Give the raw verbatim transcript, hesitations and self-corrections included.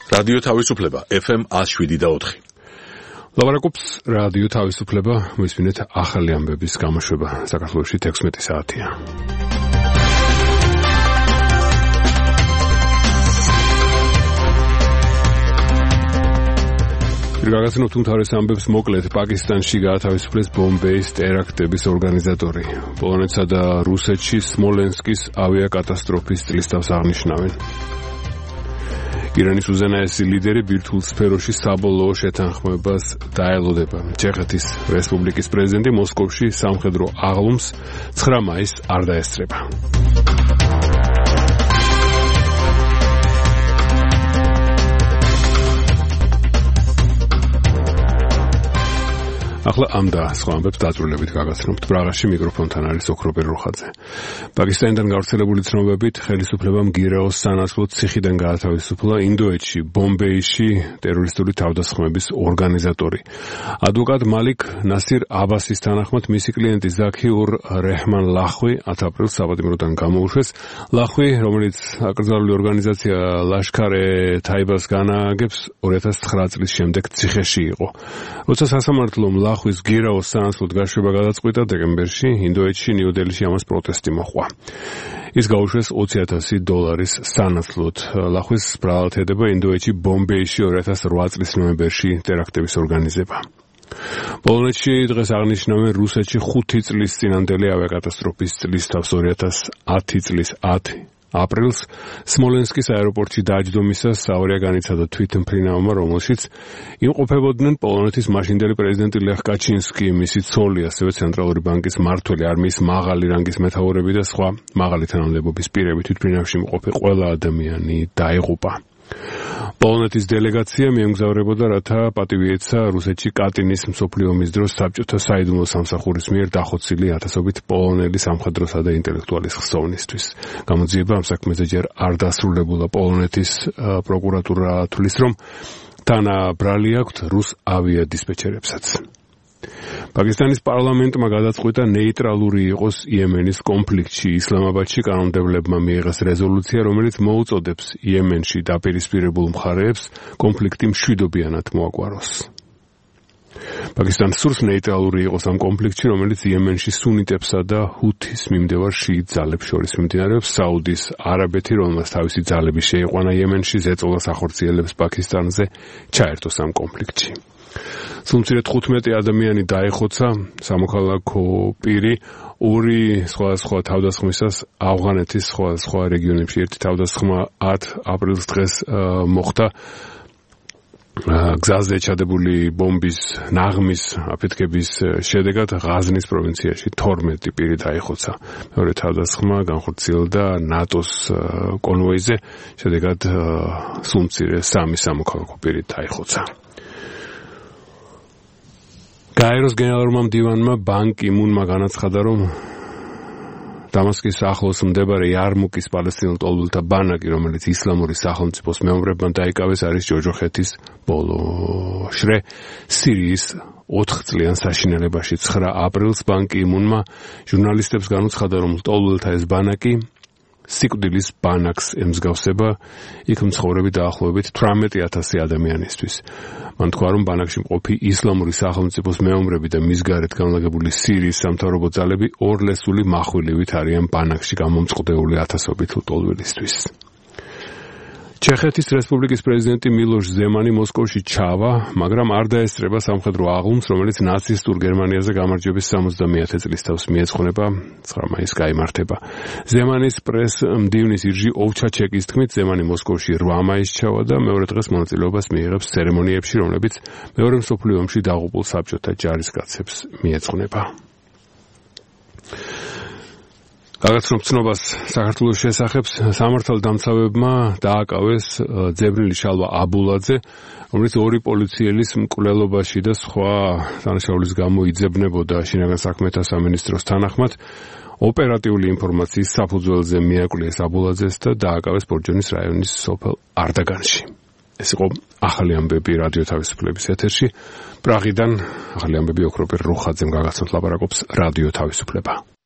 რადიო თავისუფლება ეფ ემ one oh seven და four. ლაპარაკობს რადიო თავისუფლება, მისმინეთ ახალი ამბების გამოშვება საქართველოში თექვსმეტი საათია. გაგაცნობთ უმთავრეს ამბებს მოკლედ. პაკისტანში გაათავისუფლეს ბომბეის ტერაქტების ორგანიზატორი. პოლონეთსა და რუსეთში სმოლენსკის ავიაკატასტროფის წლისთავს აღნიშნავენ. ირანის უზენაესი ლიდერი ბირთვულ სფეროში საბოლოო შეთანხმებას დაელოდება. ჩეხეთის რესპუბლიკის პრეზიდენტი მოსკოვში სამხედრო აღლუმს ცხრა მაისს არ დაესწრება. ახლა ამ და სხვა ამბებს დაწვრილებით გაგაცნობთ. პრაღაში მიკროფონთან არის ოქროპერ როხაძე. პაკისტანიდან გავრცელებული ცნობებით ხელისუფლებამ გირაოს სანაცვლოდ ციხიდან გაათავისუფლა ინდოეთში ბომბეიში ტერორისტული თავდასხმების ორგანიზატორი. ადვოკატ მალიქ ნასირ აბასის თანახმად მისი კლიენტი ზაქიურ რეჰმან ლახვი ათი აპრილს საპატიმროდან გამოუშვეს. ლახვი, რომელიც აკრძალული ორგანიზაცია ლაშქარ-ე თაიბას განაგებს, ორი ათას ცხრა წლის შემდეგ ციხეში იყო. როცა სასამართლომ ლახვის გირაოს სანაცვლოდ გაშვება გადაწყვიტა დეკემბერში, ინდოეთში ნიუ-დელhíში ამას პროტესტი მოჰყვა. ის გაუშვეს ოცი ათასი დოლარის სანაცვლოდ. ლახვის ბრალათედება ინდოეთში ბომბეიში ორი ათას რვა წლის ნოემბერში ტერაქტების ორგანიზება. პოლონეთში დღეს აღნიშნავენ რუსეთში ხუთი წლის წინანდელი ავიაკატასტროფის წლისთავს ორი ათას ათი წლის ათი აპრილს სმოლენსკის აეროპორტში დაჯდომისას საავარია განიცადა თვითმფრინავმა, რომელშიც იმყოფებოდნენ პოლონეთის მაშინდელი პრეზიდენტი ლეხ კაჩინსკი, მისი ცოლი, ასევე ცენტრალური ბანკის მმართველი, არმიის მაღალი რანგის მეთაურები და სხვა მაღალი თანამდებობის პირები. თვითმფრინავში მყოფი ყველა ადამიანი დაიღუპა. პოლონეთის დელეგაცია მიემგზავრებოდა, რათა პატივი ეცა რუსეთში კატინის მსოფლიო ომის დროს საბჭოთა საიდუმლო სამსახურის მიერ დახოცილი ათასობით პოლონელი სამხედროსა და ინტელექტუალის ხსოვნისთვის. გამოძიება ამ საქმეზე ჯერ არ დასრულებულა. პოლონეთის პროკურატურა თვლის, რომ თანა ბრალი აქვთ რუს ავიადისპეჩერებსაც. პაკისტანის პარლამენტმა გადაწყვიტა ნეიტრალური იყოს იემენის კონფლიქტში. ისლამაბადში კანონმდებლებმა მიიღეს რეზოლუცია, რომელიც მოუწოდებს იემენში დაპირისპირებულ მხარეებს კონფლიქტი მშვიდობიანად მოაგვაროს. პაკისტანი სურს ნეიტრალური იყოს ამ კონფლიქტში, რომელიც იემენში სუნიტებსა და ჰუთის მიმდევარ შიიტ ძალებს შორის მიმდინარეობს. საუდის არაბეთი, რომელმაც თავისი ძალები შეიყვანა იემენში, ზეწოლას ახორციელებს პაკისტანზე ჩაერთოს ამ კონფლიქტში. სულ თხუთმეტი ადამიანი დაიხოცა სამოქალაქო პირი ორი სხვადასხვა თავდასხმისას ავღანეთის სხვადასხვა რეგიონებში. ერთი თავდასხმა ათი აპრილს დღეს მოხდა გზაზე ჩადებული ბომბის ნაღმის აფეთქების შედეგად ღაზნის პროვინციაში თორმეტი პირი დაიხოცა. მეორე თავდასხმა განხორციელდა ნატოს კონვოიზე, შედეგად სულ სამი სამოქალაქო პირი დაიხოცა. გაეროს გენერალურმა მდივანმა ბან კი მუნმა განაცხადა, რომ დამასკის ახლოს მდებარე იარმუკის პალესტინელ ტოლბულთა ბანაკი, რომელიც ისლამური სახელმწიფოს მეომრებმა დაიკავეს, არის ჯოჯოხეთის ბოლო შრე სირიის ოთხ წლიან საშინელებაში. ცხრა აპრილს ბან კი მუნმა ჟურნალისტებს განუცხადა, რომ ტოლბულთა ეს ბანაკი სიკვდილის ბანაკს ემსგავსება, იქ მცხოვრები დაახლოებით თვრამეტი ათასი ადამიანისთვის. მან თქვა, რომ ბანაკში მყოფი ისლამური სახელმწიფოს მეომრები და მის გარეთ განლაგებული სირიის სამთავრობო ძალები ორლესული מחვილივით არიან ბანაკში გამომწყდეული ათასობით ლტოლვილისთვის. ჩეხეთის რესპუბლიკის პრეზიდენტი მილოშ ზემანი მოსკოვში ჩავა, მაგრამ არ დაესწრება სამხედრო აღლუმს, რომელიც ნაცისტურ გერმანიაზე გამარჯვების სამოცდამეათე წლისთავს მიეძღვნება. ცხრა მაისს გაიმართება. ზემანის პრეს მდივნის ირჟი ოვჩაჩეკის თქმით, ზემანი მოსკოვში რვა მაისს ჩავა და მეორე დღეს მონაწილეობას მიიღებს ცერემონიებში, რომლებიც მეორე მსოფლიო ომში დაღუპულ საბჭოთა ჯარისკაცებს მიეძღვნება. გაგაცნობთ ცნობას საქართველოს შესახებ. სამართალდამცავებმა დააკავეს ძებრილი შალვა აბულაძე, რომელიც ორი პოლიციელის მკვლელობაში და სხვა დანაშაულის გამო იძებნებოდა. შინაგან საქმეთა სამინისტროს თანახმად ოპერატიული ინფორმაციის საფუძველზე მიაკვლიეს აბულაძეს და დააკავეს ბორჯონის რაიონის სოფელ არდაგანში. ეს იყო ახალი ამბები რადიო თავისუფლების ეთერში. პრაღიდან ახალი ამბები ოქროპერ როხაძემ გაგაცნობთ, ლაპარაკობს რადიო თავისუფლება.